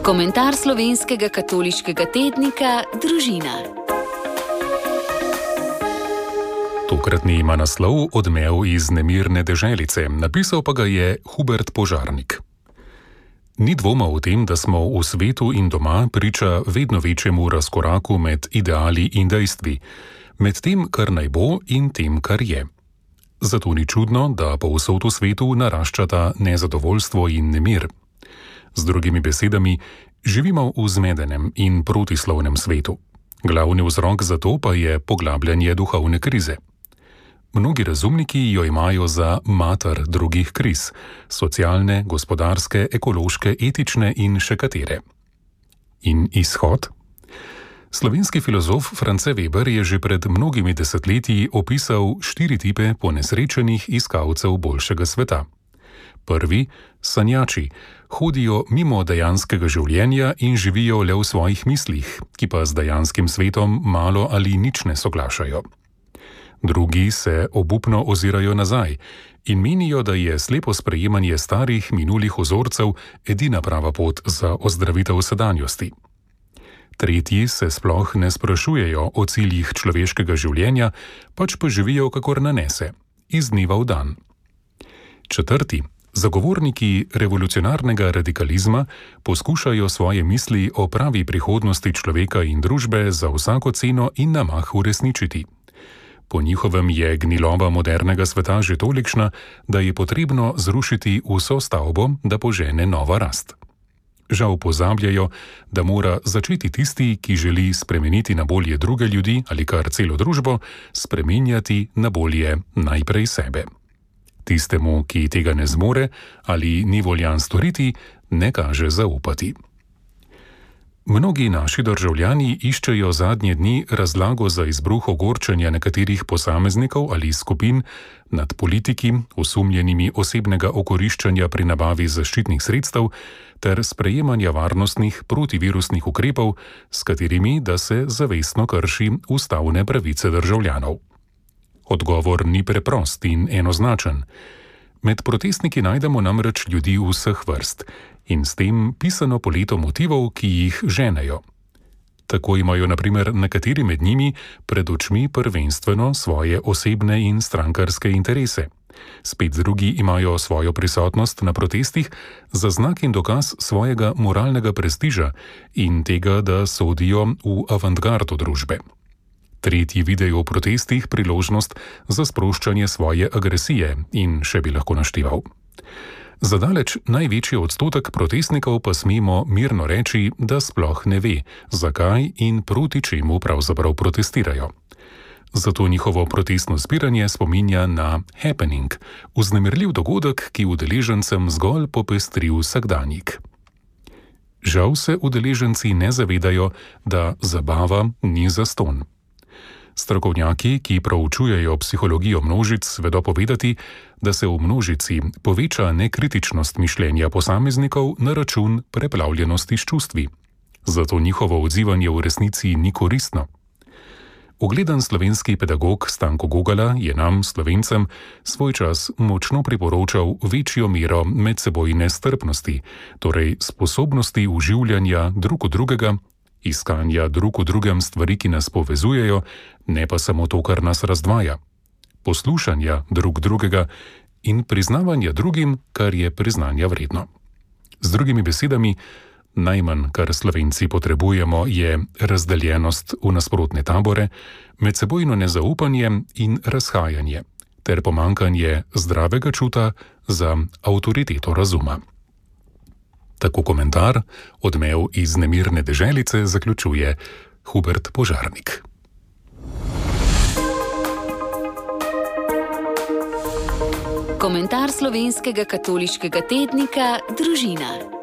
Komentar slovenskega katoliškega tednika Družina. Tokratni ima naslov Odmev iz nemirne deželice, napisal pa ga je Hubert Požarnik. Ni dvoma o tem, da smo v svetu in doma priča vedno večjemu razkoraku med ideali in dejstvi, med tem, kar naj bo in tem, kar je. Zato ni čudno, da povsod v svetu naraščata nezadovoljstvo in nemir. Z drugimi besedami, živimo v zmedenem in protislovnem svetu. Glavni vzrok za to pa je poglabljanje duhovne krize. Mnogi razumniki jo imajo za mater drugih kriz, socialne, gospodarske, ekološke, etične in še katere. In izhod? Slovenski filozof France Weber je že pred mnogimi desetletji opisal 4 tipe ponesrečenih iskalcev boljšega sveta. Prvi, sanjači, hodijo mimo dejanskega življenja in živijo le v svojih mislih, ki pa z dejanskim svetom malo ali nič ne soglašajo. Drugi se obupno ozirajo nazaj in menijo, da je slepo sprejemanje starih minulih vzorcev edina prava pot za ozdravitev sedanjosti. Tretji se sploh ne sprašujejo o ciljih človeškega življenja, pač pa živijo kakor nanese, iz dneva v dan. Četrti, zagovorniki revolucionarnega radikalizma poskušajo svoje misli o pravi prihodnosti človeka in družbe za vsako ceno in na mah uresničiti. Po njihovem je gniloba modernega sveta že tolikšna, da je potrebno zrušiti vso stavbo, da požene nova rast. Žal pozabljajo, da mora začeti tisti, ki želi spremeniti na bolje druge ljudi ali kar celo družbo, spremenjati na bolje najprej sebe. Tistemu, ki tega ne zmore ali ni voljan storiti, ne kaže zaupati. Mnogi naši državljani iščejo zadnje dni razlago za izbruh ogorčenja nekaterih posameznikov ali skupin nad politiki, osumljenimi osebnega okoriščanja pri nabavi zaščitnih sredstev ter sprejemanja varnostnih protivirusnih ukrepov, s katerimi da se zavestno krši ustavne pravice državljanov. Odgovor ni preprost in enoznačen. Med protestniki najdemo namreč ljudi vseh vrst in s tem pisano poleto motivov, ki jih ženejo. Tako imajo na primer nekateri med njimi pred očmi prvenstveno svoje osebne in strankarske interese. Spet drugi imajo svojo prisotnost na protestih za znak in dokaz svojega moralnega prestiža in tega, da sodijo v avantgardo družbe. Tretji vidijo v protestih priložnost za sproščanje svoje agresije in še bi lahko našteval. Zadaleč največji odstotek protestnikov pa smemo mirno reči, da sploh ne ve, zakaj in proti čemu pravzaprav protestirajo. Zato njihovo protestno zbiranje spominja na happening, vznemirljiv dogodek, ki udeležencem zgolj popestri vsakdanjik. Žal se udeleženci ne zavedajo, da zabava ni zastonj. Strokovnjaki, ki proučujejo psihologijo množic, vedo povedati, da se v množici poveča nekritičnost mišljenja posameznikov na račun preplavljenosti s čustvi. Zato njihovo odzivanje v resnici ni koristno. Ugledan slovenski pedagog Stanko Gogala je nam, Slovencem, svoj čas močno priporočal večjo mero medsebojne strpnosti, torej sposobnosti uživljanja drug od drugega, iskanja drug v drugem stvari, ki nas povezujejo, ne pa samo to, kar nas razdvaja. Poslušanja drug drugega in priznavanja drugim, kar je priznanja vredno. Z drugimi besedami, najmanj, kar Slovenci potrebujemo, je razdeljenost v nasprotne tabore, medsebojno nezaupanje in razhajanje, ter pomanjkanje zdravega čuta za avtoriteto razuma. Tako komentar Odmev iz nemirne deželice zaključuje Hubert Požarnik. Komentar slovenskega katoliškega tednika Družina.